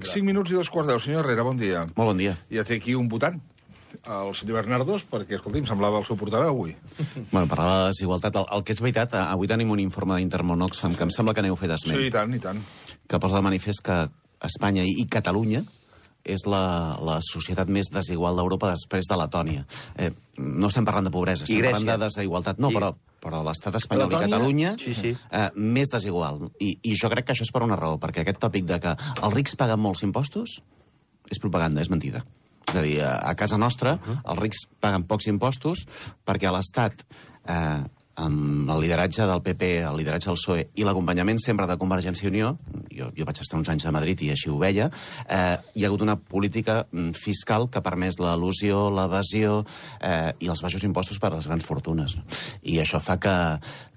5 minuts i 2:15. Senyor Herrera, bon dia. Molt bon dia. Ja té aquí un votant, el senyor Bernardos, perquè, escolti, em semblava el seu portaveu avui. Bueno, parlava de desigualtat. El que és veritat, avui tenim un informe d'Intermón Oxfam que em sembla que n'heu fet esment. Sí, i tant, i tant. Que posa de manifest que Espanya i Catalunya és la societat més desigual d'Europa després de Letònia. No estem parlant de pobresa, estem parlant de desigualtat. No, però l'estat espanyol i Catalunya més desigual. I jo crec que això és per una raó, perquè aquest tòpic de que els rics paguen molts impostos és propaganda, és mentida. És a dir, a casa nostra els rics paguen pocs impostos perquè a l'Estat, amb el lideratge del PP, el lideratge del PSOE i l'acompanyament sempre de Convergència i Unió, jo vaig estar uns anys a Madrid i així ho veia, hi ha hagut una política fiscal que ha permès l'elusió, l'evasió i els baixos impostos per a les grans fortunes. I això fa que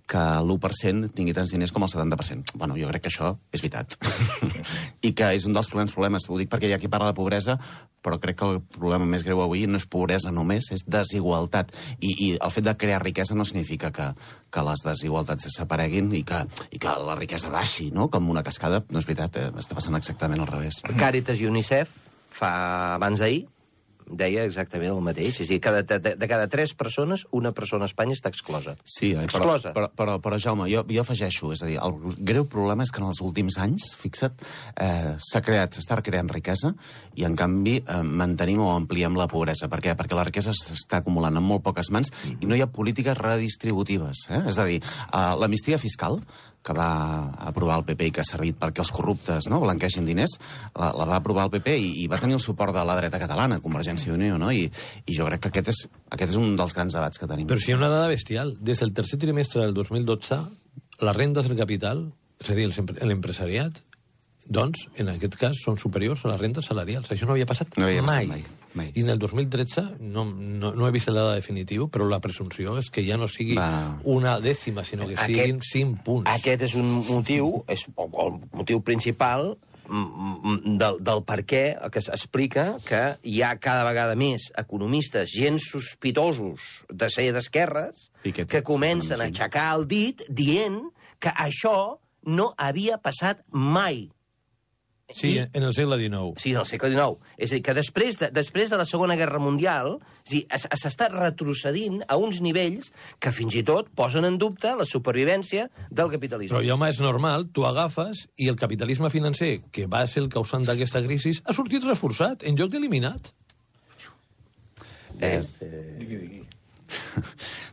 l'1% tingui tants diners com el 70%. Bueno, jo crec que això és veritat. I que és un dels problemes. Ho dic perquè hi ha qui parla de pobresa, però crec que el problema més greu avui no és pobresa només, és desigualtat. I el fet de crear riquesa no significa que les desigualtats desapareguin i que la riquesa baixi, no? Com una cascada. No és veritat, està passant exactament al revés. Càritas i UNICEF, abans d'ahir, deia exactament el mateix. És a dir, de cada 3 persones, una persona a Espanya està exclosa. Sí, exclosa. Però Jaume, jo afegeixo, és a dir, el greu problema és que en els últims anys, fixa't, s'està creant riquesa i, en canvi, mantenim o ampliem la pobresa. Per què? Perquè la riquesa s'està acumulant en molt poques mans i no hi ha polítiques redistributives. És a dir, l'amnistia fiscal, que va aprovar el PP i que ha servit perquè els corruptes blanquegin diners, la va aprovar el PP i va tenir el suport de la dreta catalana, Convergència i Unió, no? I jo crec que aquest és un dels grans debats que tenim. Però si hi ha una dada bestial. Des del tercer trimestre del 2012, les rendes del capital, és a dir, l'empresariat, doncs, en aquest cas, són superiors a les rendes salarials. Això no havia passat mai. I en el 2013, no he vist la dada definitiva, però la presumpció és que ja no sigui una dècima, sinó que siguin 5 punts. Aquest és un motiu, és el motiu principal del per què que s'explica que hi ha cada vegada més economistes, gens sospitosos de ser d'esquerres, que comencen a aixecar el dit dient que això no havia passat mai. Sí, en el segle XIX. Sí, en el segle XIX. És a dir, que després de la Segona Guerra Mundial s'està retrocedint a uns nivells que fins i tot posen en dubte la supervivència del capitalisme. Però, home, és normal, tu agafes i el capitalisme financer, que va ser el causant d'aquesta crisi, ha sortit reforçat, en lloc d'eliminat. Digui.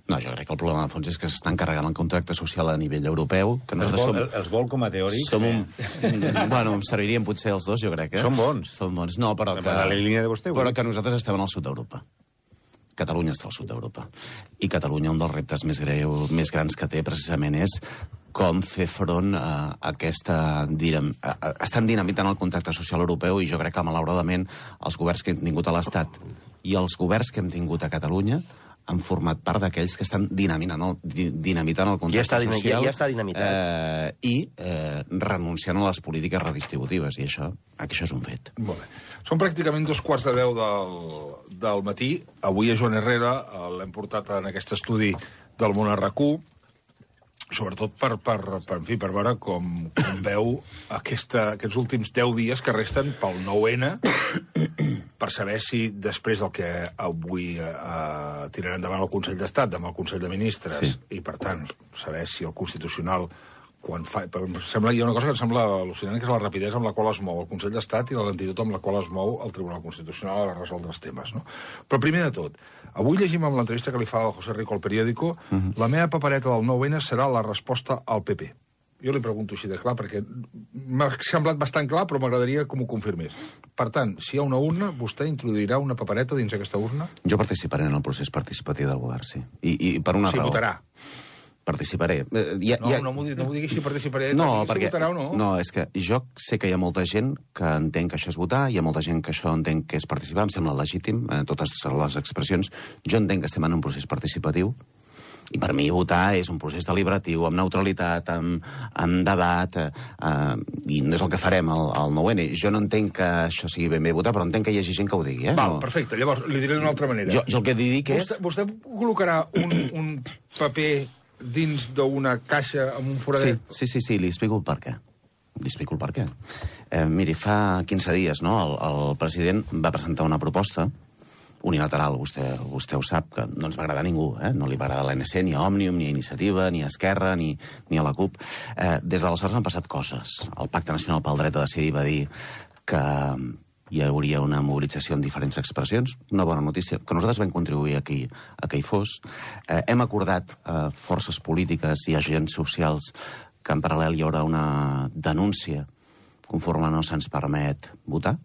No, jo crec que el problema de fons és que s'estan carregant el contracte social a nivell europeu. Que els vol com a teòrics? Bueno, em servirien potser els dos, jo crec. Són bons. Són bons, no, però que nosaltres estem en el sud d'Europa. Catalunya està al sud d'Europa. I Catalunya, un dels reptes més grans que té, precisament, és com fer front a aquesta... Estan dinamitant el contracte social europeu i jo crec que, malauradament, els governs que hem tingut a l'Estat i els governs que hem tingut a Catalunya han format part d'aquells que estan dinamitant el contracte social. Ja està dinamitat. I renunciant a les polítiques redistributives, i això és un fet. Molt bé. Són pràcticament 9:45 del matí. Avui a Joan Herrera l'hem portat en aquest estudi del Món RQ, sobretot per veure com veu aquests últims 10 dies que resten pel 9-N, per saber si després del que avui tirarà endavant el Consell d'Estat, demà el Consell de Ministres, i per tant saber si el Constitucional hi ha una cosa que em sembla al·lucinant, que és la rapidesa amb la qual es mou el Consell d'Estat i la lentitud amb la qual es mou el Tribunal Constitucional a resoldre els temes, no? Però primer de tot, avui llegim amb l'entrevista que li fa el José Rico al periòdico, la meva papereta del 9-N serà la resposta al PP. Jo li pregunto així de clar, perquè m'ha semblat bastant clar, però m'agradaria que m'ho confirmés. Per tant, si hi ha una urna, vostè introduirà una papereta dins aquesta urna? Jo participaré en el procés participatiu del govern, sí. I per una raó. Sí, votarà. Participaré. No m'ho digui si participaré, no, perquè... si votarà o no. No, és que jo sé que hi ha molta gent que entén que això és votar, hi ha molta gent que això entén que és participar, em sembla legítim, totes les expressions. Jo entenc que estem en un procés participatiu, i per mi votar és un procés deliberatiu, amb neutralitat, amb debat, i no és el que farem al 9-N. Jo no entenc que això sigui ben bé votar, però entenc que hi hagi gent que ho digui. Val, perfecte. Llavors, li diré d'una altra manera. Jo el que dic és... Vostè col·locarà un paper dins d'una caixa amb un foradet? Sí, li explico el per què. Li explico el per què. Miri, fa 15 dies el president va presentar una proposta unilateral, vostè ho sap, que no ens va agradar a ningú, no li va agradar a l'ANC, ni a Òmnium, ni a Iniciativa, ni a Esquerra, ni a la CUP. Des d'aleshores han passat coses. El Pacte Nacional pel Dret a Decidir va dir que hi hauria una mobilització amb diferents expressions, una bona notícia, que nosaltres vam contribuir a que hi fos. Hem acordat forces polítiques i agents socials que en paral·lel hi haurà una denúncia conforme no se'ns permet votar.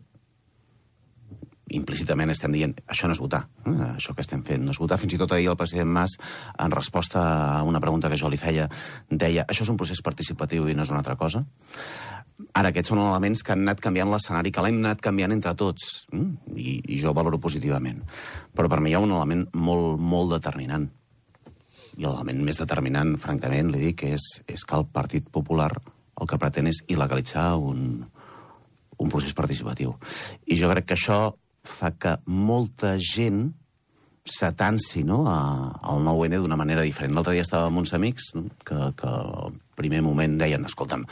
Implícitament estem dient, això no és votar, això que estem fent no és votar. Fins i tot ahir el president Mas, en resposta a una pregunta que jo li feia, deia, això és un procés participatiu i no és una altra cosa. Ara, aquests són elements que han anat canviant l'escenari, que l'hem anat canviant entre tots, i jo valoro positivament. Però per mi hi ha un element molt, molt determinant. I l'element més determinant, francament, li dic, és que el Partit Popular el que pretén és il·legalitzar un procés participatiu. I jo crec que això fa que molta gent s'atansi al 9N d'una manera diferent. L'altre dia estava amb uns amics que al primer moment deien, escolta'm,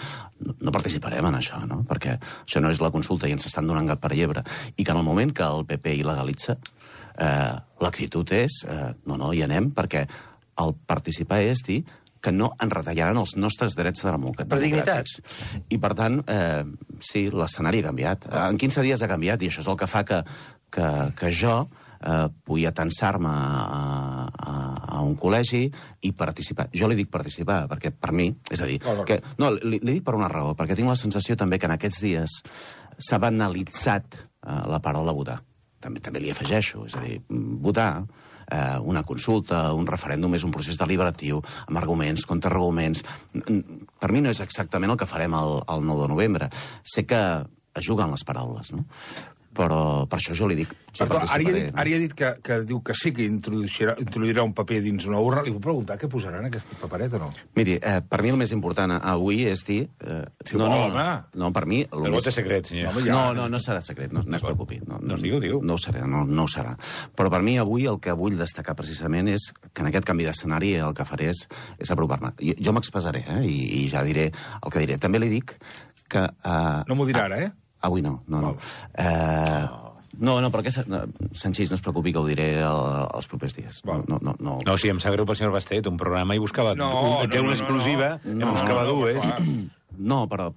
no participarem en això, perquè això no és la consulta i ens estan donant gat per llebre. I que en el moment que el PP il·legalitza, l'actitud és, no, hi anem, perquè el participar és dir que no ens retallaran els nostres drets democràtics. Per dignitats. I, per tant, sí, l'escenari ha canviat. En 15 dies ha canviat, i això és el que fa que jo pugui atansar-me a un col·legi i participar. Jo li dic participar, perquè per mi, és a dir... No, li dic per una raó, perquè tinc la sensació també que en aquests dies s'ha banalitzat la paraula votar. També li afegeixo, és a dir, votar... una consulta, un referèndum és un procés deliberatiu, amb arguments, contraarguments. Per mi no és exactament el que farem el 9 de novembre. Sé que es juguen les paraules, no? Però per això jo li dic... Perdó, ara ha dit que diu que sí que introduirà un paper dins una urna. Li puc preguntar què posaran en aquest paperet o no? Miri, per mi el més important avui és dir... No, per mi... El vot és secret, senyor. No serà secret, no es preocupi. No, diu. No ho serà. Però per mi avui el que vull destacar precisament és que en aquest canvi d'escenari el que faré és apropar-me. Jo m'expressaré, i ja diré el que diré. També li dic que... No m'ho dirà ara, Avui no. No, però Sanchís, no es preocupi que ho diré els propers dies. No, sí, em sap greu pel senyor Bastet, un programa i buscava... Té una exclusiva, buscava dues... No, però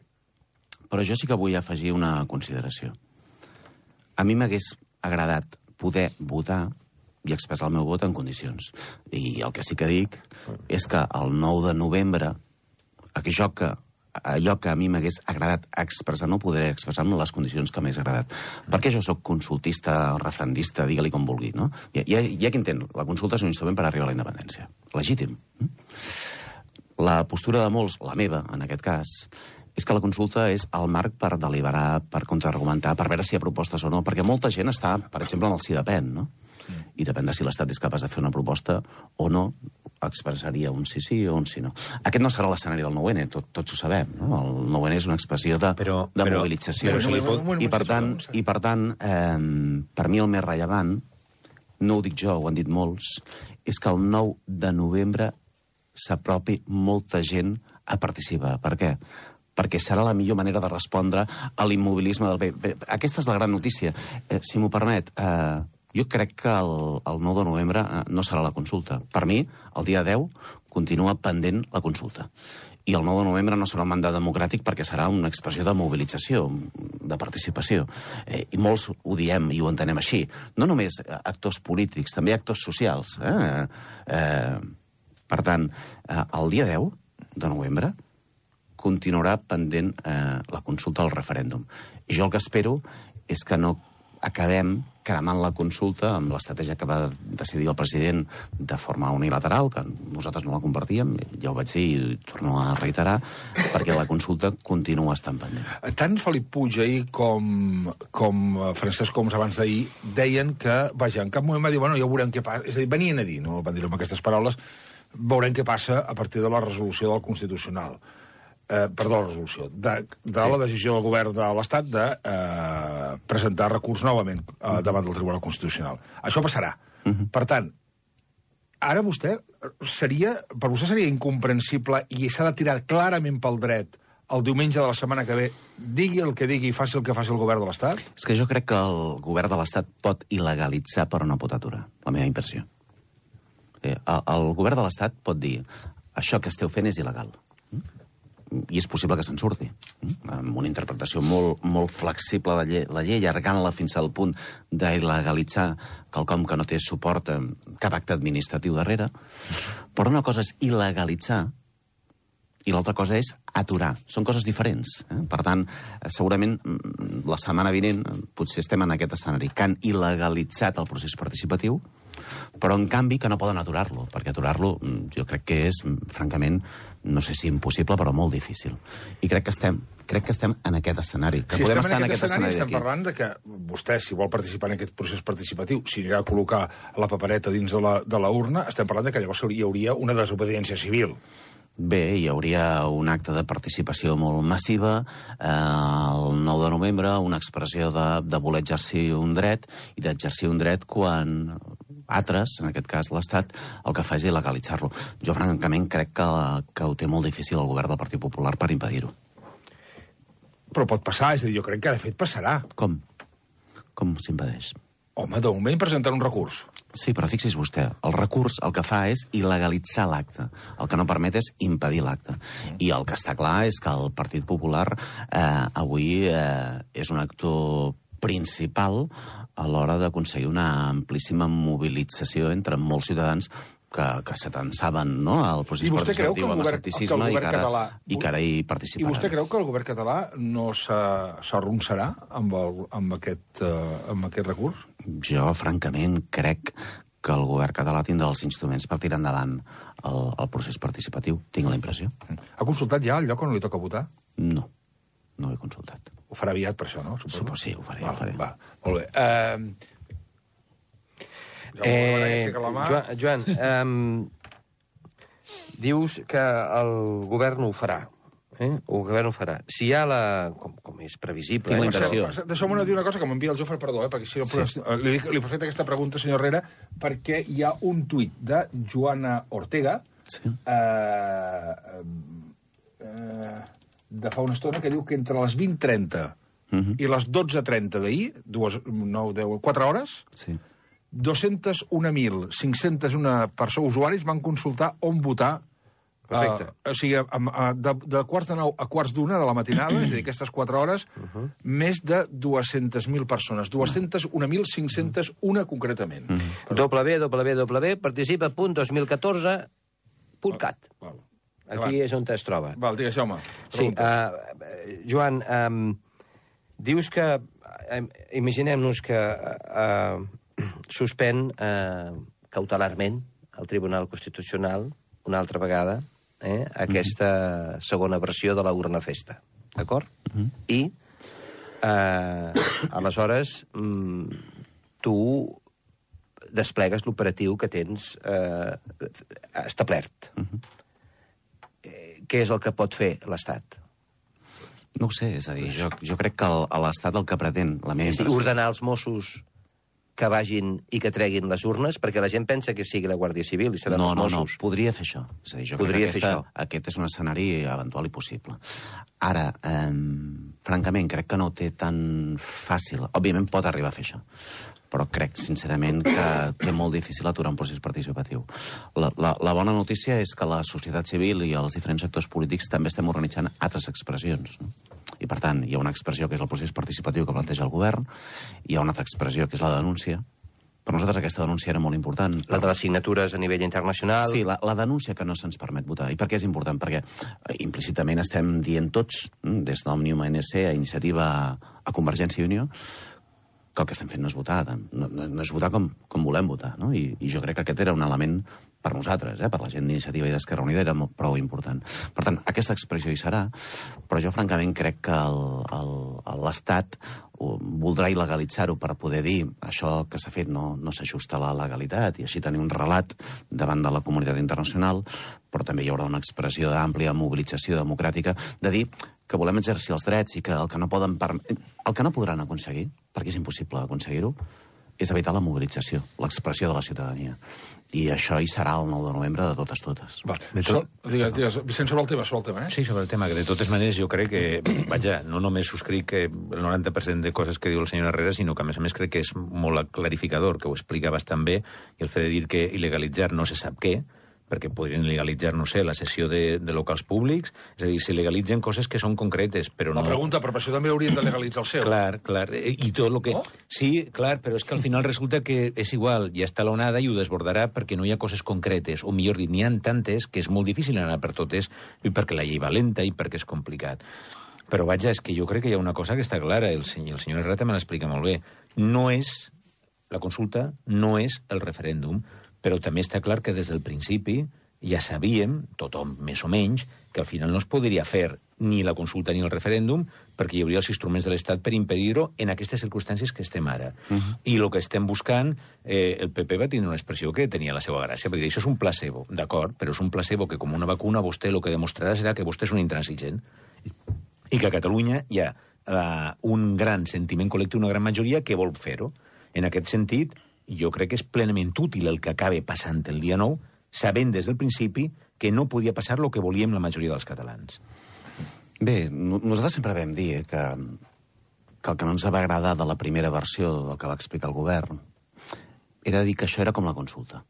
jo sí que vull afegir una consideració. A mi m'hagués agradat poder votar i expressar el meu vot en condicions. I el que sí que dic és que el 9 de novembre, allò que a mi m'hagués agradat expressar, no podré expressar-me les condicions que m'hagués agradat. Perquè jo sóc consultista, referendista, digue-li com vulgui, no? Hi ha qui entén, la consulta és un instrument per arribar a la independència. Legítim. La postura de molts, la meva, en aquest cas, és que la consulta és el marc per deliberar, per contraargumentar, per veure si hi ha propostes o no, perquè molta gent està, per exemple, en el sí depèn, no? I depèn de si l'Estat és capaç de fer una proposta o no, expressaria un sí o un sí no. Aquest no serà l'escenari del 9N, tots ho sabem, no? El 9N és una expressió de mobilització. I per tant, per mi el més rellevant, no ho dic jo, ho han dit molts, és que el 9 de novembre s'apropi molta gent a participar. Per què? Perquè serà la millor manera de respondre a l'immobilisme del bé. Aquesta és la gran notícia. Si m'ho permet, jo crec que el 9 de novembre no serà la consulta. Per mi, el dia 10 continua pendent la consulta. I el 9 de novembre no serà un mandat democràtic perquè serà una expressió de mobilització, de participació. I molts ho diem i ho entenem així. No només actors polítics, també actors socials. Per tant, el dia 10 de novembre continuarà pendent la consulta al referèndum. I jo el que espero és que no acabem cremant la consulta amb l'estratègia que va decidir el president de forma unilateral, que nosaltres no la compartíem, ja ho vaig dir i torno a reiterar, perquè la consulta continua estant pendent. Tant Felip Puig ahir com Francesc Homs abans d'ahir deien que, vaja, en cap moment va dir, bueno, ja veurem què passa, és a dir, venien a dir, no van dir-ho amb aquestes paraules, veurem què passa a partir de la resolució del Constitucional. La resolució, de la decisió del govern de l'Estat de presentar recurs novament davant del Tribunal Constitucional. Això passarà. Per tant, ara per vostè seria incomprensible i s'ha de tirar clarament pel dret el diumenge de la setmana que ve, digui el que digui i faci el que faci el govern de l'Estat? És que jo crec que el govern de l'Estat pot il·legalitzar però no pot aturar, la meva impressió. El govern de l'Estat pot dir això que esteu fent és il·legal. I és possible que se'n surti. Amb una interpretació molt flexible de la llei, allargant-la fins al punt d'il·legalitzar quelcom que no té suport cap acte administratiu darrere. Però una cosa és il·legalitzar i l'altra cosa és aturar. Són coses diferents. Per tant, segurament, la setmana vinent, potser estem en aquest escenari, que han il·legalitzat el procés participatiu, però, en canvi, que no poden aturar-lo, perquè aturar-lo jo crec que és, francament, no sé si impossible, però molt difícil. I crec que estem en aquest escenari. Que si podem estem estar en aquest escenari, estem d'aquí. parlant de que vostè, si vol participar en aquest procés participatiu, si anirà a col·locar la papereta dins de la urna, estem parlant de que llavors hi hauria una desobediència civil. Bé, hi hauria un acte de participació molt massiva, el 9 de novembre, una expressió de voler exercir un dret, i d'exercir un dret quan altres, en aquest cas l'Estat, el que fa és il·legalitzar-lo. Jo, francament, crec que ho té molt difícil el govern del Partit Popular per impedir-ho. Però pot passar, és a dir, jo crec que de fet passarà. Com? Com s'impedeix? Home, de moment presentar un recurs. Sí, però fixi's vostè, el recurs el que fa és il·legalitzar l'acte. El que no permet és impedir l'acte. I el que està clar és que el Partit Popular avui és un actor principal a l'hora d'aconseguir una amplíssima mobilització entre molts ciutadans que s'atansaven, no?, al procés participatiu, a l'escepticisme i que ara hi participaran. I vostè creu que el govern català no s'arronsarà amb aquest recurs? Jo, francament, crec que el govern català tindrà els instruments per tirar endavant el procés participatiu. Tinc la impressió. Ha consultat ja el lloc on li toca votar? No, no ho he consultat. Ho farà aviat, per això, no? Suposo. Sí, ho faré. Va, molt bé. Joan, dius que el govern ho farà. El govern ho farà. Si hi ha com és previsible... Tinc la impressió. Deixeu-me dir una cosa que m'envia el Jofre, perdó, perquè si no... Li he fet aquesta pregunta, senyor Herrera, perquè hi ha un tuit de Joana Ortega de fa una estona que diu que entre les 20:30 i les 12:30 d'ahir, 4 hores, 201.501 usuaris van consultar on votar. Perfecte. O sigui, de quarts de 9 a quarts d'1 de la matinada, és a dir, aquestes 4 hores, més de 200.000 persones. 201.501 concretament. www.participa.2014.cat. Aquí és on es troba. Val, digues, home. Sí, Joan, dius que... Imaginem-nos que suspèn cautelarment el Tribunal Constitucional una altra vegada aquesta segona versió de la urna festa. D'acord? I aleshores tu desplegues l'operatiu que tens establert. Què és el que pot fer l'Estat? No ho sé, és a dir, jo crec que l'Estat el que pretén... Ordenar els Mossos que vagin i que treguin les urnes, perquè la gent pensa que sigui la Guàrdia Civil i seran els Mossos. No, podria fer això. És a dir, jo crec que aquest és un escenari eventual i possible. Ara, francament, crec que no ho té tan fàcil. Òbviament pot arribar a fer això, però crec, sincerament, que té molt difícil aturar un procés participatiu. La bona notícia és que la societat civil i els diferents sectors polítics també estem organitzant altres expressions, no? I, per tant, hi ha una expressió que és el procés participatiu que planteja el govern, hi ha una altra expressió que és la denúncia. Per nosaltres aquesta denúncia era molt important. La de les signatures a nivell internacional. Sí, la denúncia que no se'ns permet votar. I per què és important? Perquè implícitament estem dient tots, des d'Òmnium ANC a Iniciativa a Convergència i Unió, que el que estem fent no és votar, no és votar com volem votar, no? I jo crec que aquest era un element per nosaltres, per la gent d'Iniciativa i d'Esquerra Unida, era prou important. Per tant, aquesta expressió hi serà, però jo francament crec que l'Estat voldrà il·legalitzar-ho per poder dir això que s'ha fet no s'ajusta a la legalitat i així tenir un relat davant de la comunitat internacional, però també hi haurà una expressió d'àmplia mobilització democràtica de dir que volem exercir els drets i que el que no podran aconseguir, perquè és impossible aconseguir-ho, és evitar la mobilització, l'expressió de la ciutadania. I això hi serà el 9 de novembre de totes. Digues, Vicent, sobre el tema, eh? Sí, sobre el tema, que de totes maneres jo crec que, vaja, no només subscric el 90% de coses que diu el senyor Herrera, sinó que a més crec que és molt clarificador, que ho explica bastant bé, i el fet de dir que il·legalitzar no se sap què, perquè podrien legalitzar, no sé, la cessió de locals públics, és a dir, si legalitzen coses que són concretes, però no... La pregunta, però per això també haurien de legalitzar el seu. Clar, i tot el que... Oh? Sí, clar, però és que al final resulta que és igual, ja està l'onada i ho desbordarà perquè no hi ha coses concretes, o millor dit, n'hi ha tantes que és molt difícil anar per totes, i perquè la llei va lenta i perquè és complicat. Però vaja, és que jo crec que hi ha una cosa que està clara, el senyor Herrera també l'explica molt bé. No és la consulta, no és el referèndum, però també està clar que des del principi ja sabíem, tothom més o menys, que al final no es podria fer ni la consulta ni el referèndum perquè hi hauria els instruments de l'Estat per impedir-ho en aquestes circumstàncies que estem ara. I el que estem buscant, el PP va tenir una expressió que tenia la seva gràcia, perquè això és un placebo, d'acord, però és un placebo que com una vacuna vostè el que demostrarà serà que vostè és un intransigent i que a Catalunya hi ha un gran sentiment col·lectiu, una gran majoria que vol fer-ho. En aquest sentit, jo crec que és plenament útil el que acabe passant el dia 9, sabent des del principi que no podia passar el que volíem la majoria dels catalans. Bé, nosaltres sempre vam dir que el que no ens va agradar de la primera versió del que va explicar el govern era dir que això era com la consulta.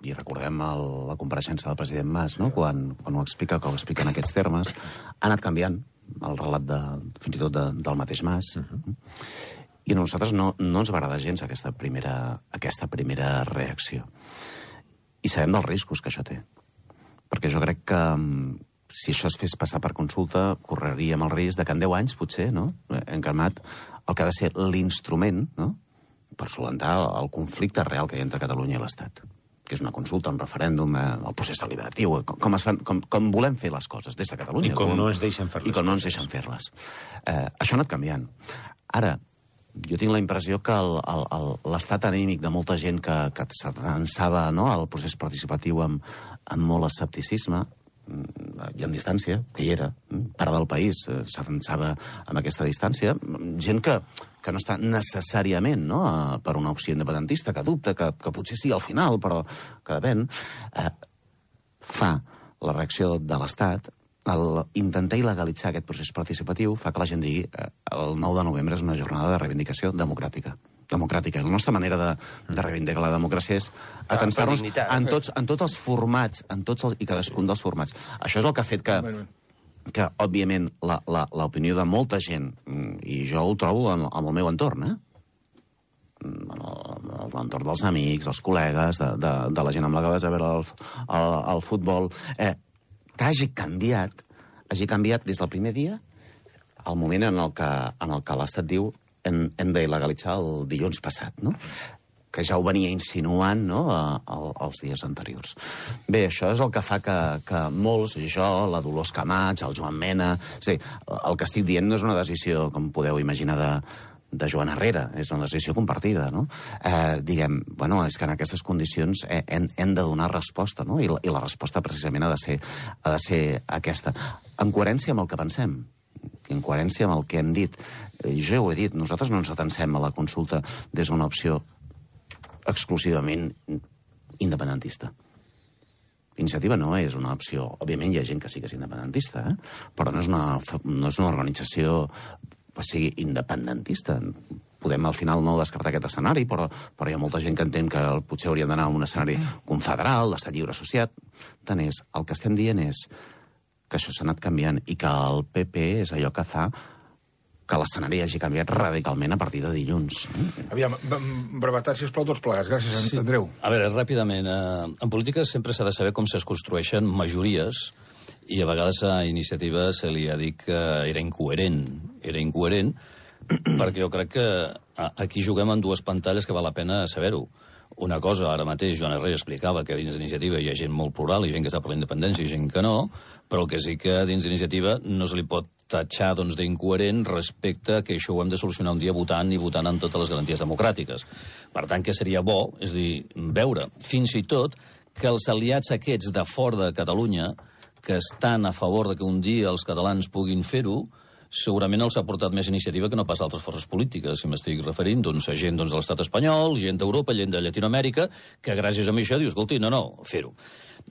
I recordem la compareixença del president Mas, no? Quan ho explica, que ho explica en aquests termes, ha anat canviant el relat fins i tot del mateix Mas. I a nosaltres no ens va agradar gens aquesta primera reacció. I sabem dels riscos que això té. Perquè jo crec que si això es fes passar per consulta, correríem el risc de que en 10 anys, potser, no? Hem calmat el que ha de ser l'instrument, no?, per solucionar el conflicte real que hi ha entre Catalunya i l'Estat, que és una consulta, un referèndum, el procés deliberatiu, com volem fer les coses des de Catalunya. I com no ens deixen fer-les. I com no ens deixen fer-les. Això ha anat canviant. Ara, jo tinc la impressió que l'estat anímic de molta gent que s'atançava, no, al procés participatiu amb molt escepticisme i amb distància, que hi era, part del país s'atançava amb aquesta distància, gent que no està necessàriament, no, per una opció independentista, que dubta, que potser sí al final, però que depèn, fa la reacció de l'Estat, intentar il·legalitzar aquest procés participatiu fa que la gent digui el 9 de novembre és una jornada de reivindicació democràtica. La nostra manera de reivindicar la democràcia és atensar-nos en tots els formats, i cadascun dels formats. Això és el que ha fet que òbviament, l'opinió de molta gent, i jo ho trobo en el meu entorn, l'entorn dels amics, dels col·legues, de la gent amb la que vas a veure el futbol, que hagi canviat des del primer dia al moment en el que l'Estat diu hem d'il·legalitzar el dilluns passat, no? Que ja ho venia insinuant, no?, els dies anteriors. Bé, això és el que fa que molts, jo, la Dolors Camats, el Joan Mena... És a dir, el que estic dient no és una decisió, com podeu imaginar, de Joan Herrera, és una decisió compartida, no? Diguem, bueno, és que en aquestes condicions hem de donar resposta, no? I la resposta precisament ha de ser aquesta. En coherència amb el que pensem, en coherència amb el que hem dit. Jo ho he dit, nosaltres no ens atansem a la consulta des d'una opció exclusivament independentista. Iniciativa no és una opció... Òbviament hi ha gent que sí que és independentista, però no és una organització que sigui independentista. Podem al final no descartar aquest escenari, però hi ha molta gent que entén que potser hauríem d'anar a un escenari confederal, d'estat lliure associat. Tant és, el que estem dient és que això s'ha anat canviant i que el PP és allò que fa que l'escenari hagi canviat radicalment a partir de dilluns. Aviam, brevetat, sisplau, tots plegats. Gràcies, Andreu. A veure, ràpidament, en política sempre s'ha de saber com es construeixen majories i a vegades a Iniciativa se li ha dit que era incoherent. Era incoherent perquè jo crec que aquí juguem en dues pantalles que val la pena saber-ho. Una cosa, ara mateix, Joan Herrera explicava que dins d'Iniciativa hi ha gent molt plural, hi ha gent que està per la independència i gent que no, però el que sí que dins d'Iniciativa no se li pot tatxar d'incoherent respecte a que això ho hem de solucionar un dia votant i votant amb totes les garanties democràtiques. Per tant, que seria bo, és a dir, veure fins i tot que els aliats aquests de fora de Catalunya, que estan a favor de que un dia els catalans puguin fer-ho, segurament els ha portat més iniciativa que no pas altres forces polítiques, si m'estic referint, doncs, a gent de l'Estat espanyol, gent d'Europa, gent de Llatinoamèrica, que gràcies a això dius, escolti, no, fer-ho.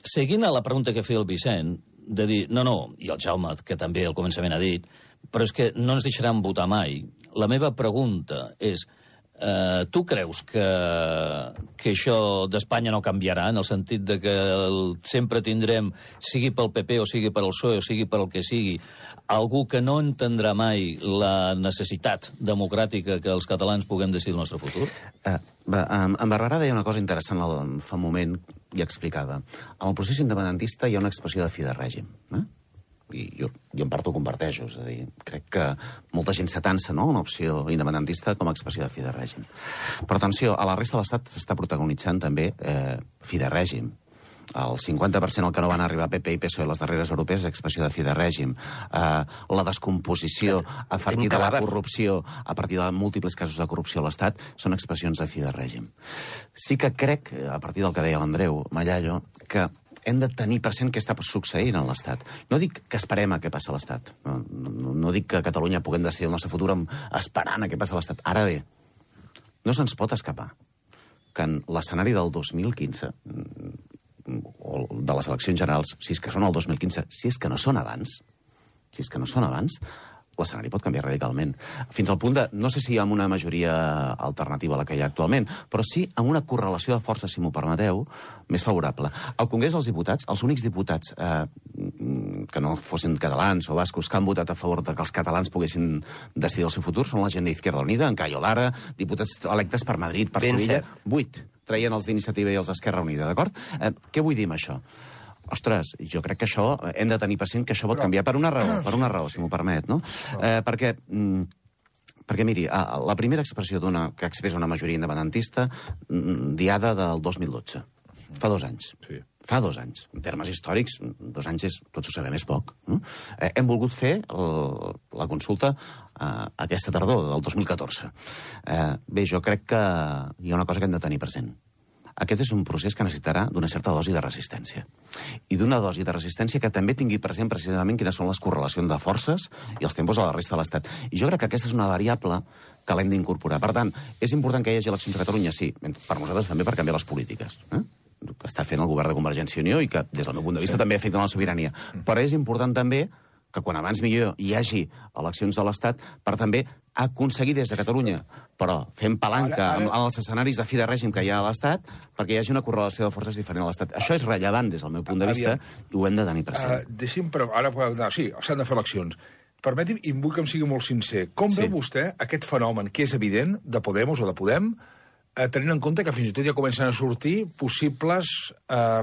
Seguint a la pregunta que feia el Vicent, de dir, no, i el Jaume, que també al començament ha dit, però és que no ens deixaran votar mai. La meva pregunta és, tu creus que això d'Espanya no canviarà, en el sentit de que sempre tindrem, sigui pel PP o sigui per el PSOE o sigui per el que sigui, algú que no entendrà mai la necessitat democràtica que els catalans puguem decidir el nostre futur? En Barberà deia una cosa interessant fa un moment i explicava. En el procés independentista hi ha una expressió de fi de règim, i jo en part ho comparteixo, és a dir, crec que molta gent s'atansa, no?, una opció independentista com a expressió de fi de règim. Però atenció, a la resta de l'Estat s'està protagonitzant també fi de règim. El 50% al que no van arribar PP i PSOE a les darreres europees és expressió de fi de règim. La descomposició a partir de la corrupció, a partir de múltiples casos de corrupció a l'Estat, són expressions de fi de règim. Sí que crec, a partir del que deia l'Andreu Mallallo, que hem de tenir present què està succeint a l'Estat. No dic que esperem a què passa a l'Estat. No dic que a Catalunya puguem decidir el nostre futur esperant a què passa a l'Estat. Ara bé, no se'ns pot escapar que en l'escenari del 2015, o de les eleccions generals, si és que són el 2015, si és que no són abans, l'escenari pot canviar radicalment. Fins al punt de, no sé si amb una majoria alternativa a la que hi ha actualment, però sí amb una correlació de forces, si m'ho permeteu, més favorable. Al Congrés dels Diputats, els únics diputats que no fossin catalans o bascos que han votat a favor de que els catalans poguessin decidir el seu futur són la gent d'Izquierda Unida, en Cayo Lara, diputats electes per Madrid, per Sevilla, 8 traien els d'Iniciativa i els d'Esquerra Unida, d'acord? Què vull dir amb això? Ostres, jo crec que això, hem de tenir present que això pot canviar per una raó, si m'ho permet, no? Perquè, miri, la primera expressió que expressa una majoria independentista, diada del 2012, fa 2 anys. Sí. Fa 2 anys. En termes històrics, 2 anys és, tots ho sabem, és poc. No? Hem volgut fer la consulta aquesta tardor, del 2014. Bé, jo crec que hi ha una cosa que hem de tenir present. Aquest és un procés que necessitarà d'una certa dosi de resistència. I d'una dosi de resistència que també tingui present precisament quines són les correlacions de forces i els tempos a la resta de l'Estat. I jo crec que aquesta és una variable que l'hem d'incorporar. Per tant, és important que hi hagi eleccions a Catalunya? Sí, per nosaltres també per canviar les polítiques. Que està fent el govern de Convergència i Unió i que, des del meu punt de vista, també afecten la sobirania. Però és important també que quan abans millor hi hagi eleccions a l'Estat per també aconseguir des de Catalunya, però fent palanca amb els escenaris de fi de règim que hi ha a l'Estat, perquè hi hagi una correlació de forces diferent a l'Estat. Això és rellevant des del meu punt de vista i ho hem de tenir present. Deixi'm, però ara, sí, s'han de fer eleccions. Permeti'm, i vull que em sigui molt sincer, com veu vostè aquest fenomen que és evident de Podemos o de Podem, tenint en compte que fins i tot ja comencen a sortir possibles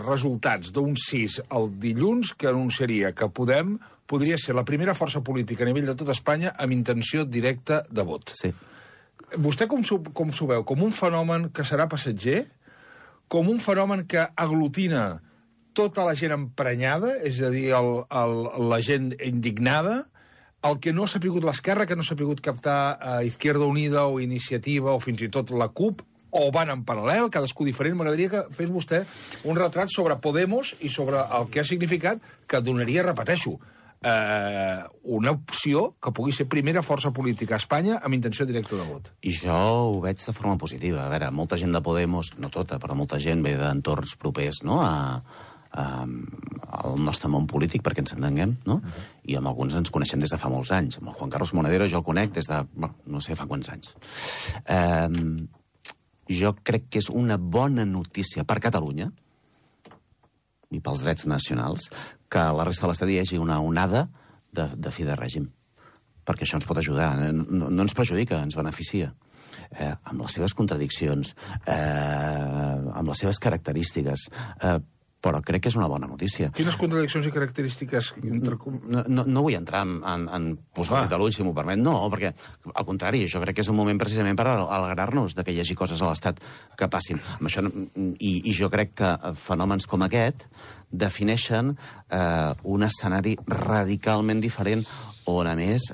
resultats d'un 6 el dilluns que anunciaria que Podem podria ser la primera força política a nivell de tot Espanya amb intenció directa de vot. Sí. Vostè com s'ho veu? Com un fenomen que serà passatger? Com un fenomen que aglutina tota la gent emprenyada, és a dir, la gent indignada, el que no s'ha pogut l'esquerra, que no s'ha pogut captar a Izquierda Unida o Iniciativa o fins i tot la CUP, o van en paral·lel, cadascú diferent. M'agradaria que fes vostè un retrat sobre Podemos i sobre el que ha significat, que donaria, repeteixo, una opció que pugui ser primera força política a Espanya amb intenció directa de vot. I jo ho veig de forma positiva. A veure, molta gent de Podemos, no tota, però molta gent ve d'entorns propers, no?, al nostre món polític, perquè ens entenguem, no? I amb alguns ens coneixem des de fa molts anys. Amb el Juan Carlos Monedero jo el conec des de, no sé, fa quants anys. Jo crec que és una bona notícia per Catalunya i pels drets nacionals que a la resta de l'Estat hi hagi una onada de fi de règim. Perquè això ens pot ajudar. No ens perjudica, ens beneficia. Amb les seves contradiccions, amb les seves característiques, però crec que és una bona notícia. Quines contradiccions i característiques? No vull entrar en posar-li de l'ull, si m'ho permet. No, perquè, al contrari, jo crec que és un moment precisament per alegrar-nos de que hi hagi coses a l'Estat que passin. I jo crec que fenòmens com aquest defineixen un escenari radicalment diferent on, a més,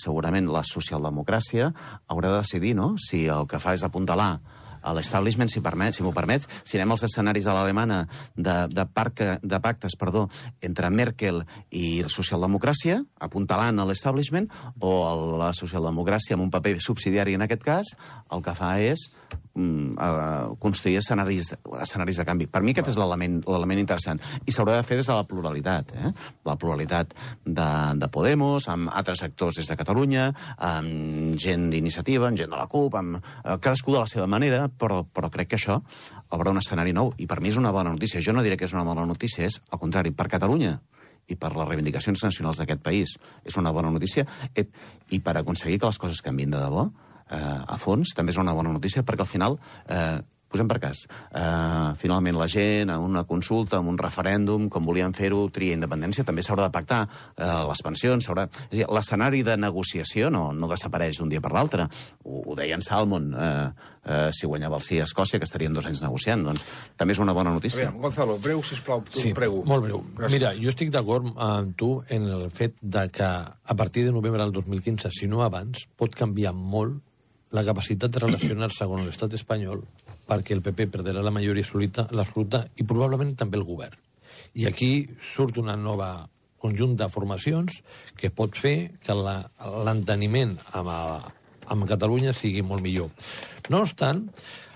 segurament la socialdemocràcia haurà de decidir, no?, si el que fa és apuntalar l'establishment, si m'ho permets. Si anem als escenaris a l'alemana de pactes entre Merkel i socialdemocràcia, apuntalant a l'establishment, o la socialdemocràcia amb un paper subsidiari en aquest cas, el que fa és construir escenaris de canvi. Per mi aquest és l'element interessant. I s'haurà de fer des de la pluralitat. La pluralitat de Podemos, amb altres actors des de Catalunya, amb gent d'iniciativa, amb gent de la CUP, amb cadascú de la seva manera, però crec que això obre un escenari nou. I per mi és una bona notícia. Jo no diré que és una bona notícia, és al contrari, per Catalunya i per les reivindicacions nacionals d'aquest país és una bona notícia, i per aconseguir que les coses canviïn de debò a fons, també és una bona notícia, perquè al final, posem per cas, finalment la gent, a una consulta, amb un referèndum, com volien fer-ho, tria independència, també s'haurà de pactar les pensions, és a dir, l'escenari de negociació no desapareix d'un dia per l'altre. Ho deia en Salmon, si guanyava el sí a Escòcia, que estarien 2 anys negociant, doncs també és una bona notícia. Gonzalo, breu, sisplau, sí, prego. Molt breu. Gràcies. Mira, jo estic d'acord amb tu en el fet de que a partir de novembre del 2015, si no abans, pot canviar molt la capacitat de relacionar-se amb l'estat espanyol, perquè el PP perdrà la majoria absoluta i probablement també el govern. I aquí surt una nova conjunt de formacions que pot fer que l'enteniment amb Catalunya sigui molt millor. No obstant,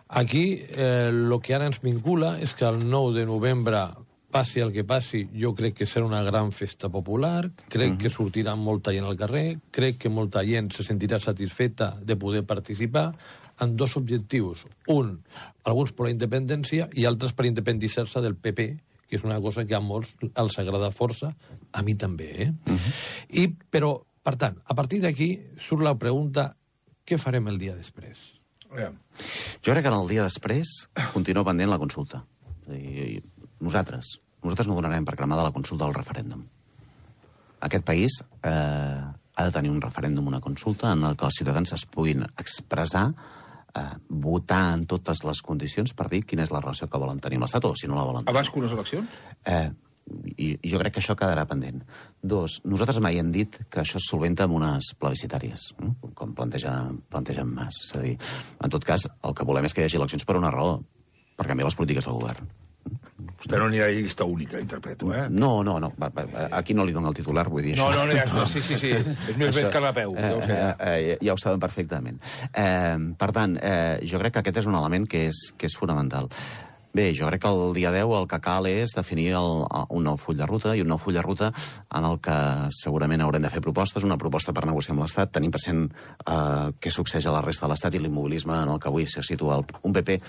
aquí el que ara ens vincula és que el 9 de novembre passi el que passi, jo crec que serà una gran festa popular, crec que sortirà molta gent al carrer, crec que molta gent se sentirà satisfeta de poder participar en 2 objectius. Un, alguns per la independència i altres per independitzar-se del PP, que és una cosa que a molts els agrada força, a mi també. Però, per tant, a partir d'aquí surt la pregunta, què farem el dia després? Jo crec que el dia després continua pendent la consulta. Nosaltres no donarem per cremada la consulta del referèndum. Aquest país ha de tenir un referèndum, una consulta, en què els ciutadans es puguin expressar, votar en totes les condicions per dir quina és la relació que volen tenir amb l'Estat o si no la volen tenir. Abans que unes eleccions? I jo crec que això quedarà pendent. 2, nosaltres mai hem dit que això es solventa amb unes plebiscitàries, com plantegen Mas. És a dir, en tot cas, el que volem és que hi hagi eleccions per una raó, per canviar les polítiques del govern. Vostè no anirà a llista única, interpreto, eh? No. Aquí no li dono el titular, vull dir això. No, sí. És més ben que la peu. Ja ho saben perfectament. Per tant, jo crec que aquest és un element que és fonamental. Bé, jo crec que el dia 10 el que cal és definir un nou full de ruta, i un nou full de ruta en el que segurament haurem de fer propostes, una proposta per negociar amb l'Estat, tenint present què succeeix a la resta de l'Estat i l'immobilisme en el que avui se situa un PP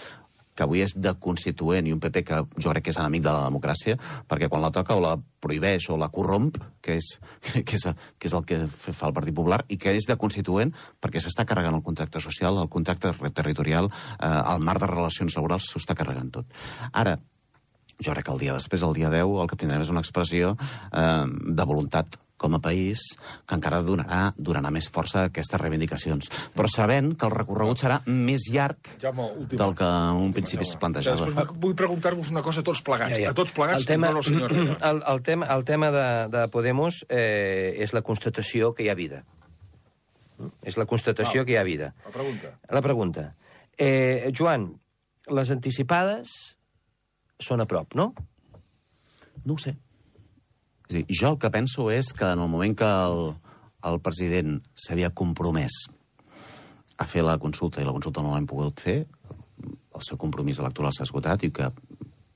que avui és de constituent i un PP que jo crec que és enemic de la democràcia, perquè quan la toca o la prohibeix o la corromp, que és el que fa el Partit Popular, i que és de constituent perquè s'està carregant el contracte social, el contracte territorial, el marc de relacions laborals s'ho està carregant tot. Ara, jo crec que el dia després, el dia 10, el que tindrem és una expressió de voluntat com a país, que encara donarà més força a aquestes reivindicacions. Però sabent que el recorregut serà més llarg del que un principi es plantejava. Vull preguntar-vos una cosa a tots plegats. A tots plegats, el tema de Podemos és la constatació que hi ha vida. És la constatació que hi ha vida. La pregunta. Joan, les anticipades són a prop, no? No ho sé. És a dir, jo el que penso és que en el moment que el president s'havia compromès a fer la consulta i la consulta no l'hem pogut fer, el seu compromís electoral s'ha esgotat i que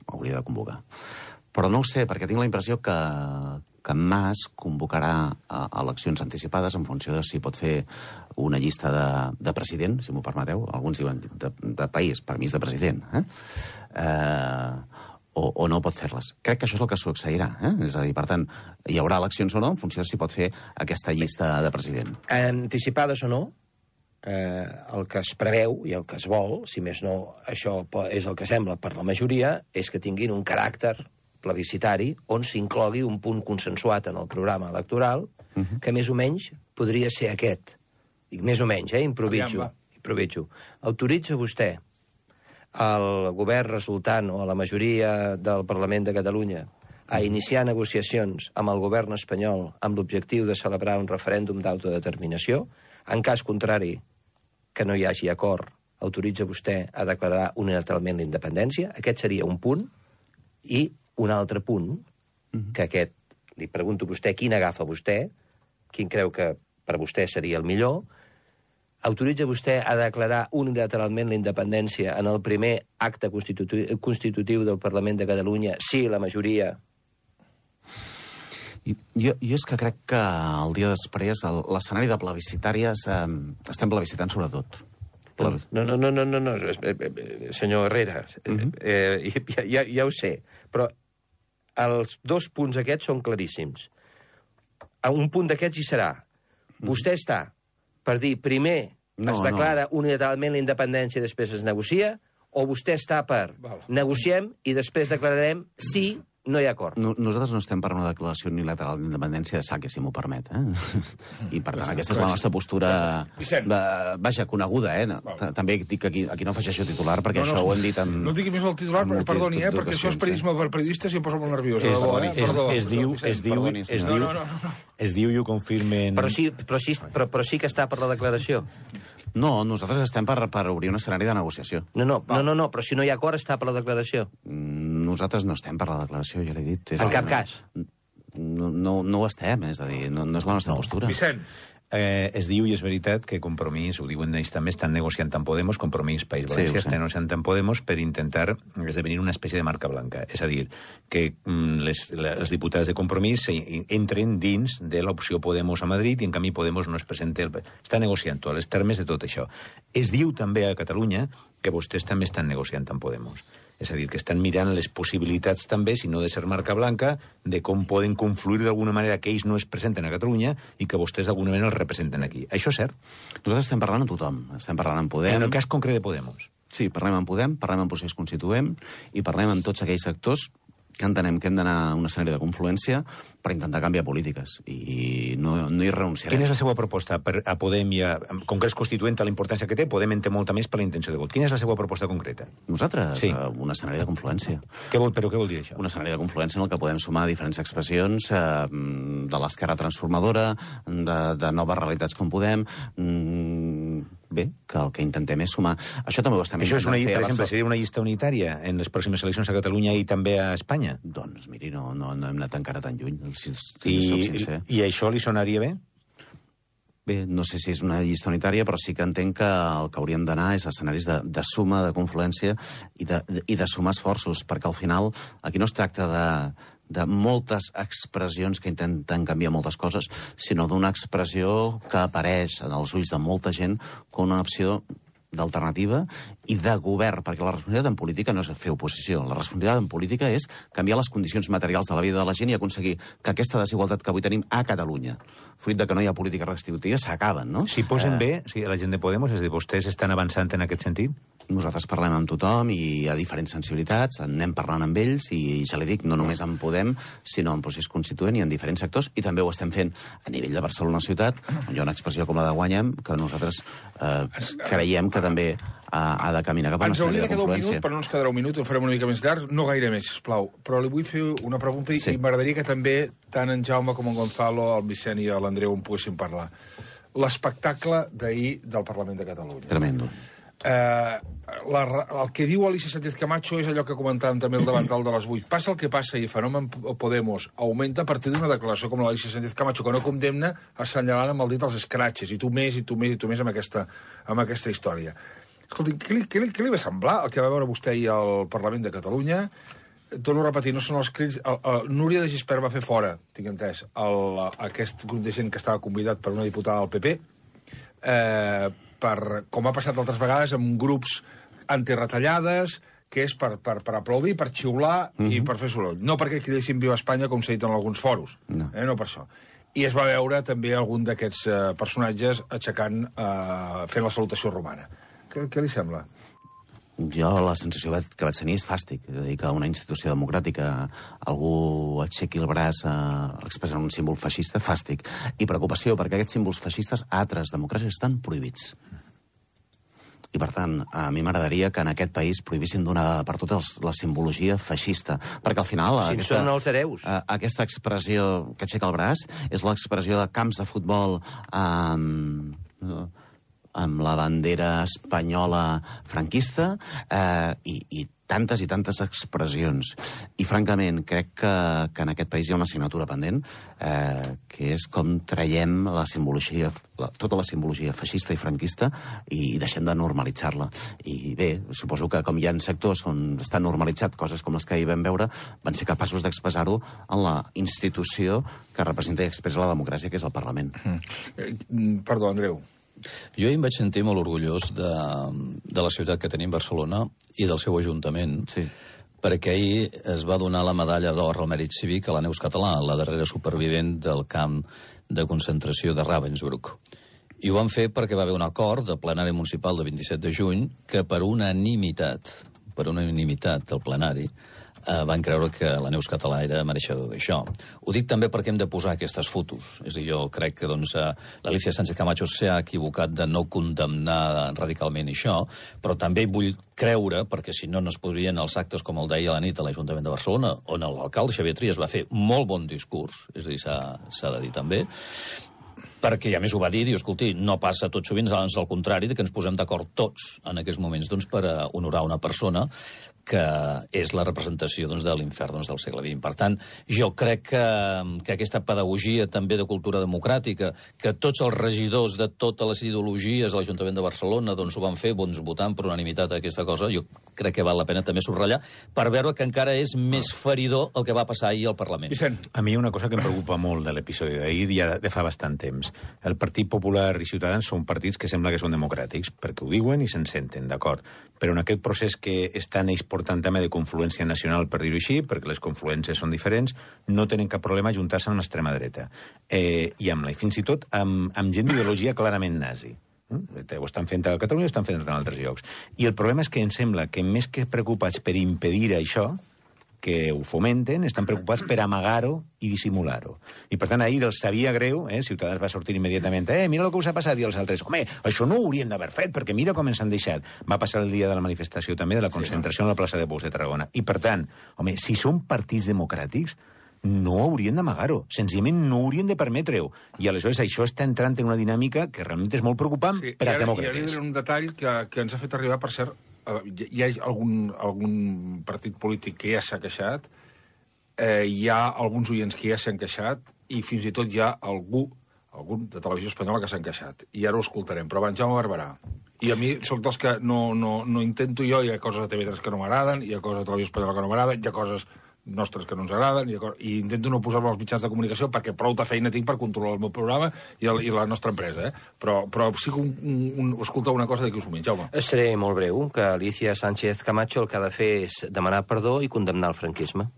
hauria de convocar. Però no ho sé, perquè tinc la impressió que Mas convocarà eleccions anticipades en funció de si pot fer una llista de president, si m'ho permeteu. Alguns diuen de país, permís de president. O no pot fer-les. Crec que això és el que succeirà. És a dir, per tant, hi haurà eleccions o no en funció de si pot fer aquesta llista de president. Anticipades o no, el que es preveu i el que es vol, si més no això és el que sembla per la majoria, és que tinguin un caràcter plebiscitari on s'inclogui un punt consensuat en el programa electoral que més o menys podria ser aquest. Dic més o menys, improviso. Autoritza vostè el govern resultant o a la majoria del Parlament de Catalunya a iniciar negociacions amb el govern espanyol amb l'objectiu de celebrar un referèndum d'autodeterminació. En cas contrari, que no hi hagi acord, autoritza vostè a declarar unilateralment la independència. Aquest seria un punt. I un altre punt, que aquest, li pregunto a vostè quin agafa vostè, quin creu que per vostè seria el millor, autoritza vostè a declarar unilateralment la independència en el primer acte constitutiu del Parlament de Catalunya si la majoria... Jo és que crec que el dia després l'escenari de plebiscitàries estem plebiscitant sobretot. No, senyor Herrera, ja ho sé, però els dos punts aquests són claríssims. Un punt d'aquests hi serà. Vostè està per dir primer es declara unilateralment la independència i després es negocia, o vostè està per negociem i després declararem si no hi ha acord. Nosaltres no estem per una declaració unilateral d'independència de saque, si m'ho permet. I, per tant, aquesta és la nostra postura, vaja, coneguda. També dic que aquí no afegeixo titular, perquè això ho hem dit amb... No digui més el titular, perdoni, perquè això és periodisme per periodistes i em posa molt nerviós. Es diu i ho confirmen... Però sí que està per la declaració. No, nosaltres estem per obrir un escenari de negociació. No, però si no hi ha acord està per la declaració. Nosaltres no estem per la declaració, ja l'he dit. En cap cas. No ho estem, és a dir, no és la nostra postura. Vicent. Es diu, i és veritat, que Compromís, ho diuen ells també, estan negociant amb Podemos, Compromís País Valencià estan negociant amb Podemos per intentar esdevenir una espècie de marca blanca. És a dir, que els diputats de Compromís entren dins de l'opció Podemos a Madrid i en canvi Podemos no es presenta... Està negociant a les termes de tot això. Es diu també a Catalunya que vostès també estan negociant amb Podemos. És a dir, que estan mirant les possibilitats també, si no de ser marca blanca, de com poden confluir d'alguna manera que ells no es presenten a Catalunya i que vostès d'alguna manera els representen aquí. Això és cert? Nosaltres estem parlant amb tothom. Estem parlant amb Podem. En el cas concret de Podemos. Sí, parlem amb Podem, parlem amb procés constituent i parlem amb tots aquells sectors que entenem que hem d'anar a un escenari de confluència per intentar canviar polítiques, i no hi renunciarem. Quina és la seva proposta a Podem i a Congrés Constituent, a la importància que té? Podem en té molta més per la intenció de vot. Quina és la seva proposta concreta? Nosaltres? Sí. Un escenari de confluència. Però què vol dir això? Un escenari de confluència en el que podem sumar diferents expressions de l'esquerra transformadora, de noves realitats com Podem... Bé, que el que intentem és sumar... Això també ho estem intentant fer. Per exemple, seria una llista unitària en les pròximes eleccions a Catalunya i també a Espanya? Doncs, miri, no hem anat encara tan lluny, si soc sincer. I això li sonaria bé? Bé, no sé si és una llista unitària, però sí que entenc que el que hauríem d'anar és escenaris de suma, de confluència i de sumar esforços, perquè al final aquí no es tracta de moltes expressions que intenten canviar moltes coses, sinó d'una expressió que apareix en els ulls de molta gent com una opció d'alternativa i de govern, perquè la responsabilitat en política no és fer oposició. La responsabilitat en política és canviar les condicions materials de la vida de la gent i aconseguir que aquesta desigualtat que avui tenim a Catalunya, fruit de que no hi ha polítiques redistributives, s'acaben, no? Si posen bé, si la gent de Podemos, és a dir, vostès estan avançant en aquest sentit? Nosaltres parlem amb tothom i hi ha diferents sensibilitats, anem parlant amb ells i ja li dic, no només en Podem, sinó en procés constituent i en diferents sectors, i també ho estem fent a nivell de Barcelona ciutat, on hi ha una expressió com la de Guanyem, que nosaltres creiem que també ha de caminar cap a una escenari de confluència. Ens hauria de quedar un minut, però no ens quedarà un minut, ho farem una mica més llarg, no gaire més, sisplau. Però li vull fer una pregunta i m'agradaria que també tant en Jaume com en Gonzalo, el Vicent i l'Andreu en poguessin parlar. L'espectacle d'ahir del Parlament de Catalunya. Tremendo. El que diu Alicia Sánchez Camacho és allò que comentàvem també el davantal de les 8. Passa el que passa i el fenomen Podemos augmenta a partir d'una declaració com l'Alicia Sánchez Camacho, que no condemna assenyalant amb el dit els escratxes, i tu més, i tu més, i tu més amb aquesta història. Escolti, què li va semblar el que va veure vostè ahir al Parlament de Catalunya? Torno a repetir, no són els crits... Núria de Gispert va fer fora, tinc entès, aquest grup de gent que estava convidat per una diputada del PP, com ha passat altres vegades amb grups antiretallades, que és per aplaudir, per xiular i per fer soroll. No perquè cridessin Viva Espanya, com s'ha dit en alguns foros. No per això. I es va veure també algun d'aquests personatges aixecant, fent la salutació romana. Què li sembla? Jo la sensació que vaig tenir és fàstic. És a dir, que una institució democràtica algú aixequi el braç expressant un símbol feixista, fàstic. I preocupació, perquè aquests símbols feixistes a altres democràcies estan prohibits. I, per tant, a mi m'agradaria que en aquest país prohibissin d'una per totes la simbologia feixista. Perquè al final... Si són els hereus. Aquesta expressió que aixeca el braç és l'expressió de camps de futbol amb la bandera espanyola franquista i tantes expressions. I, francament, crec que en aquest país hi ha una assignatura pendent, que és com traiem la simbologia, tota la simbologia feixista i franquista i deixem de normalitzar-la. I bé, suposo que com hi ha sectors on està normalitzat coses com les que ahir vam veure, van ser capaços d'expressar-ho en la institució que representa i expressa la democràcia, que és el Parlament. Perdó, Andreu. Jo ahir em vaig sentir molt orgullós de la ciutat que tenim, Barcelona, i del seu Ajuntament, Sí. perquè ahir es va donar la medalla d'or al mèrit cívic a la Neus Català, la darrera supervivent del camp de concentració de Ravensbrück. I ho van fer perquè va haver un acord de plenari municipal de 27 de juny que per unanimitat del plenari van creure que la Neus Català era mereixedor d'això. Ho dic també perquè hem de posar aquestes fotos. És a dir, jo crec que l'Alicia Sánchez Camacho s'ha equivocat de no condemnar radicalment això, però també vull creure, perquè si no es podrien els actes com el d'ahir a la nit a l'Ajuntament de Barcelona, on l'alcalde Xavier Trias va fer molt bon discurs, és a dir, s'ha de dir també, perquè a més ho va dir, diu, escolti, no passa tot sovint, ans al contrari, que ens posem d'acord tots en aquests moments per honorar una persona que és la representació de l'infern del segle XX. Per tant, jo crec que aquesta pedagogia també de cultura democràtica, que tots els regidors de totes les ideologies a l'Ajuntament de Barcelona ho van fer votant per unanimitat aquesta cosa, jo crec que val la pena també subratllar per veure que encara és més feridor el que va passar ahir al Parlament. Vicent. A mi hi ha una cosa que em preocupa molt de l'episodi d'ahir ja de fa bastant temps. El Partit Popular i Ciutadans són partits que sembla que són democràtics, perquè ho diuen i se'n senten, d'acord. Però en aquest procés que estan ells portant tema de confluència nacional, per dir-ho així, perquè les confluències són diferents, no tenen cap problema a juntar-se amb l'extrema dreta. I fins i tot amb gent d'ideologia clarament nazi. Ho estan fent a Catalunya, ho estan fent en altres llocs. I el problema és que em sembla que més que preocupats per impedir això, que ho fomenten, estan preocupats per amagar-ho i dissimular-ho. I, per tant, ahir els sabia greu, Ciutadans va sortir immediatament, mira el que us ha passat, i els altres, home, això no ho haurien d'haver fet, perquè mira com ens han deixat. Va passar el dia de la manifestació també, de la concentració a la plaça de Bous de Tarragona. I, per tant, home, si són partits democràtics, no haurien d'amagar-ho, senzillament no haurien de permetre-ho. I aleshores això està entrant en una dinàmica que realment és molt preocupant per als demòcrates. I ara diré un detall que ens ha fet arribar, per cert, hi ha algun partit polític que ja s'ha queixat, hi ha alguns oients que ja s'han queixat, i fins i tot hi ha algun de Televisió Espanyola que s'han queixat. I ara ho escoltarem. Però abans, Jaume Barberà. I a mi soc dels que no intento jo, hi ha coses a TV3 que no m'agraden, hi ha coses a Televisió Espanyola que no m'agraden, hi ha coses nostres que no ens agraden, i intento no posar-me als mitjans de comunicació perquè prou de feina tinc per controlar el meu programa i la nostra empresa, Però sí que escoltar una cosa d'aquí uns moments, Jaume. Seré molt breu, que Alicia Sánchez Camacho el que ha de fer és demanar perdó i condemnar el franquisme.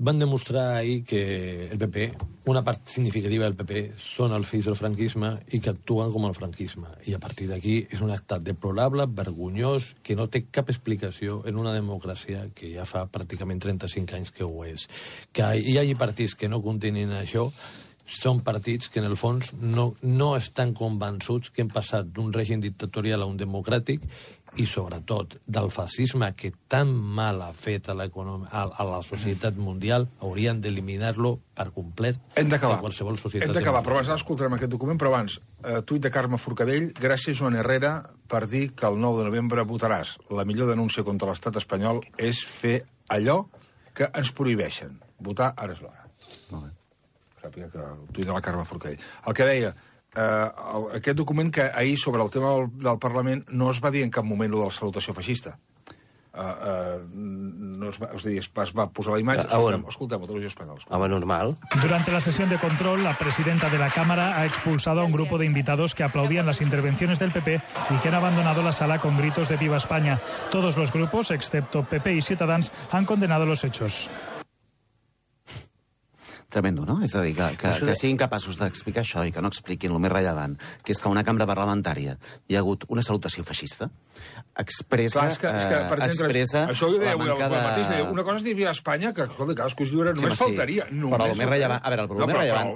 Van demostrar ahir que el PP, una part significativa del PP, són els fills del franquisme i que actuen com el franquisme. I a partir d'aquí és un acte deplorable, vergonyós, que no té cap explicació en una democràcia que ja fa pràcticament 35 anys que ho és. Que hi hagi partits que no continguin això, són partits que, en el fons, no estan convençuts que hem passat d'un règim dictatorial a un democràtic i, sobretot, del fascisme que tan mal ha fet a la societat mundial, haurien d'eliminar-lo per complet de qualsevol societat. Hem d'acabar, però abans escoltarem aquest document, però abans, tuit de Carme Forcadell, gràcies Joan Herrera per dir que el 9 de novembre votaràs. La millor denúncia contra l'estat espanyol és fer allò que ens prohibeixen. Votar ara és l'hora. Molt bé. Sàpiga que el tuit de la Carme Forcadell. El que deia, aquest document que ahir sobre el tema del Parlament no es va dir en cap moment lo de la salutació feixista. Es va posar la imatge. Escoltem, Televisió Espanyola. Home, normal. Durante la sesión de control, la presidenta de la Cámara ha expulsado a un grupo de invitados que aplaudían las intervenciones del PP y que han abandonado la sala con gritos de Viva España. Todos los grupos, excepto PP y Ciutadans, han condenado los hechos. Tremendo, no? És a dir, que siguin capaços d'explicar això i que no expliquin el més rellevant, que és que una cambra parlamentària hi ha hagut una salutació feixista, expressa això ho deia avui la manca de... Una cosa és dir Viva Espanya, que cadascú es lliure, només faltaria. Però el més rellevant... A veure,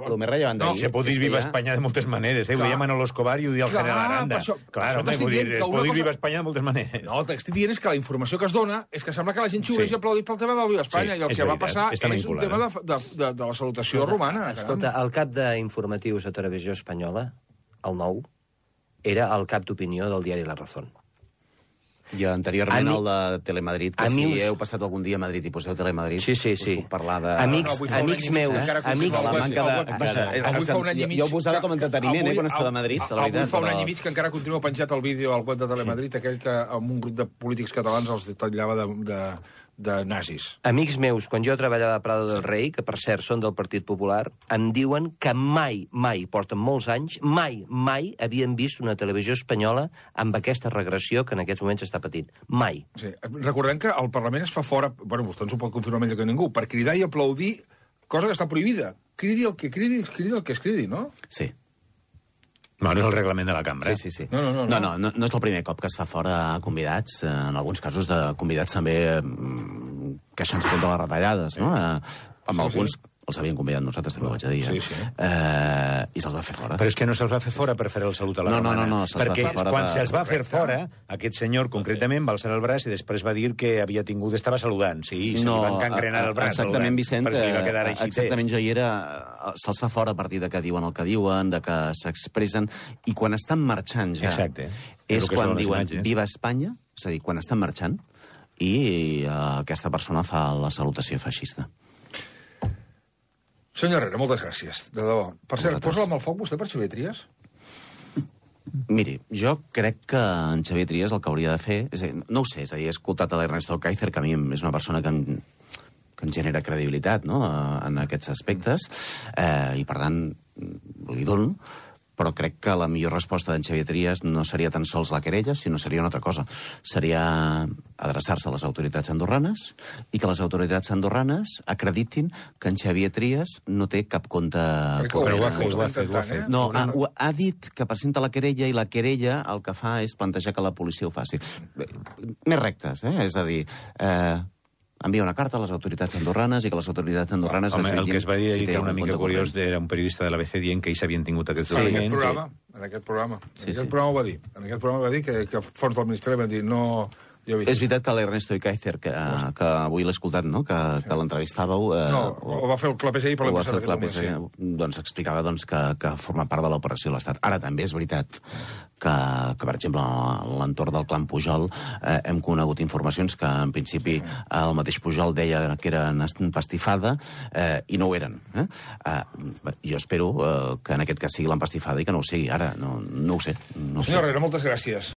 el més rellevant d'ahir... Se pot dir Viva Espanya de moltes maneres, ho deia Manolo Escobar i ho deia el general Aranda. Clar, home, pot dir Viva Espanya de moltes maneres. No, el que estic dient és que la informació que es dona és que sembla que la gent xiuleix i aplaudit pel tema del Viva Espanya, i el que va passar és un tema de la salutació romana. Escolta, el cap d'informatius a Televisió Espanyola, el nou, era el cap d'opinió del diari La Razón. I anteriorment el de Telemadrid, que si heu passat algun dia a Madrid i poseu Telemadrid, sí. us puc parlar de... Amics meus, Jo ho posava com a entreteniment, quan estava a Madrid, la veritat. Avui fa un any i mig que encara continua penjat el vídeo al web de Telemadrid, aquell que amb un grup de polítics catalans els tallava de nazis. Amics meus, quan jo treballava a Prado del Rei, que per cert són del Partit Popular, em diuen que mai, porten molts anys, mai havien vist una televisió espanyola amb aquesta regressió que en aquests moments està patint. Mai. Sí. Recordem que el Parlament es fa fora, bueno, vostè ens ho pot confirmar millor que ningú, per cridar i aplaudir, cosa que està prohibida. Cridi el que cridi el que es cridi, no? Sí. Bueno, és el reglament de la cambra. Sí. No No és el primer cop que es fa fora convidats, en alguns casos de convidats també queixant-se contra les retallades, no? Amb alguns els havien convidat nosaltres, també ho haig de dir. I se'ls va fer fora. Però és que no se'ls va fer fora per fer el salut a la romana. No, perquè quan se'ls va fer fora, aquest senyor concretament va alçar el braç i després va dir que havia tingut... Estava saludant, sí, se li van cancrenar el braç. Exactament, Vicent, perquè li va quedar així. Exactament, jo hi era... Se'ls fa fora a partir de que diuen el que diuen, de que s'expressen, i quan estan marxant ja... Exacte. És quan diuen Viva Espanya, és a dir, quan estan marxant, i aquesta persona fa la salutació feixista. Senyor Herrera, moltes gràcies, de debò. Per cert, posa-la amb el foc vostè per Xavier Trias? Miri, jo crec que en Xavier Trias el que hauria de fer... No ho sé, és a dir, he escoltat a l'Ernesto Kaiser, que a mi és una persona que em genera credibilitat, no?, en aquests aspectes, i per tant li dono, però crec que la millor resposta d'en Xavier Trias no seria tan sols la querella, sinó seria una altra cosa. Seria adreçar-se a les autoritats andorranes i que les autoritats andorranes acreditin que en Xavier Trias no té cap compte... Però ho ha fet. No, ha dit que presenta la querella i la querella el que fa és plantejar que la policia ho faci. Més rectes, és a dir... envia una carta a les autoritats andorranes i que les autoritats andorranes... Home, el que es va dir ahir, que era una mica curiós, era un periodista de l'ABC dient que ells havien tingut aquests documents. En aquest programa ho va dir. En aquest programa va dir que fons del Ministeri van dir no... És veritat que l'Ernesto Kaiser, que avui l'he escoltat, no?, que l'entrevistàveu... ho va fer el Clapés ahir per l'empresa de Catalunya. Doncs explicava que forma part de l'operació de l'Estat. Ara també és veritat que per exemple, a l'entorn del clan Pujol hem conegut informacions que, en principi, el mateix Pujol deia que eren empastifada i no ho eren. Jo espero que en aquest cas sigui l'empastifada i que no ho sigui. Ara, no ho sé. Senyor Herrera, moltes gràcies.